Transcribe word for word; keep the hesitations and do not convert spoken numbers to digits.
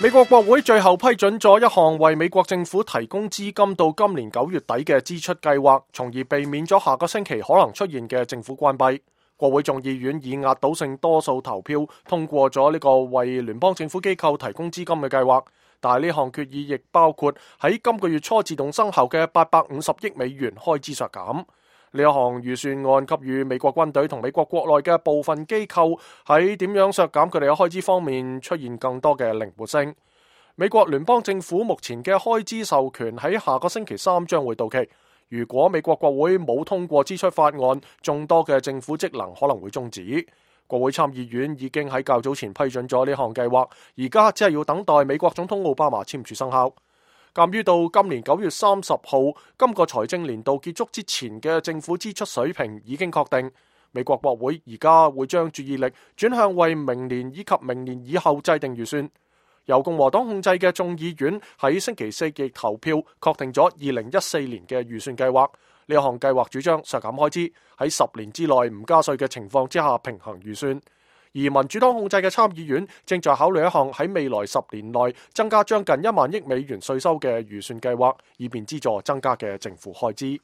美國國會最後批准咗一項為美國政府提供資金到今年九月底嘅支出計劃，從而避免咗下個星期可能出現嘅政府關閉。國會眾議院以壓倒性多數投票通過咗呢個為聯邦政府機構提供資金嘅計劃，但係呢項決議亦包括喺今個月初自動生效嘅八百五十億美元開支削減。呢一項預算案給予美國軍隊同美國國內嘅部分機構喺點樣削減佢哋嘅開支方面出現更多嘅靈活性。美國聯邦政府目前嘅開支授權喺下個星期三將會到期。如果美國國會冇通過支出法案，眾多嘅政府職能可能會終止。國會參議院已經喺較早前批准咗呢項計劃，而家只係要等待美國總統奧巴馬簽署生效。鑒於到今年九月三十號今個財政年度結束之前嘅政府支出水平已經確定，美國國會而家會將注意力轉向為明年以及明年以後制定預算。由共和黨控制嘅眾議院喺星期四亦投票確定咗二零一四年嘅預算計劃。呢項計劃主張削減開支，喺十年之內唔加稅嘅情況之下平衡預算。而民主黨控制嘅參議院正在考慮一項喺未來十年內增加將近一萬億美元稅收嘅預算計劃，以便資助增加嘅政府開支。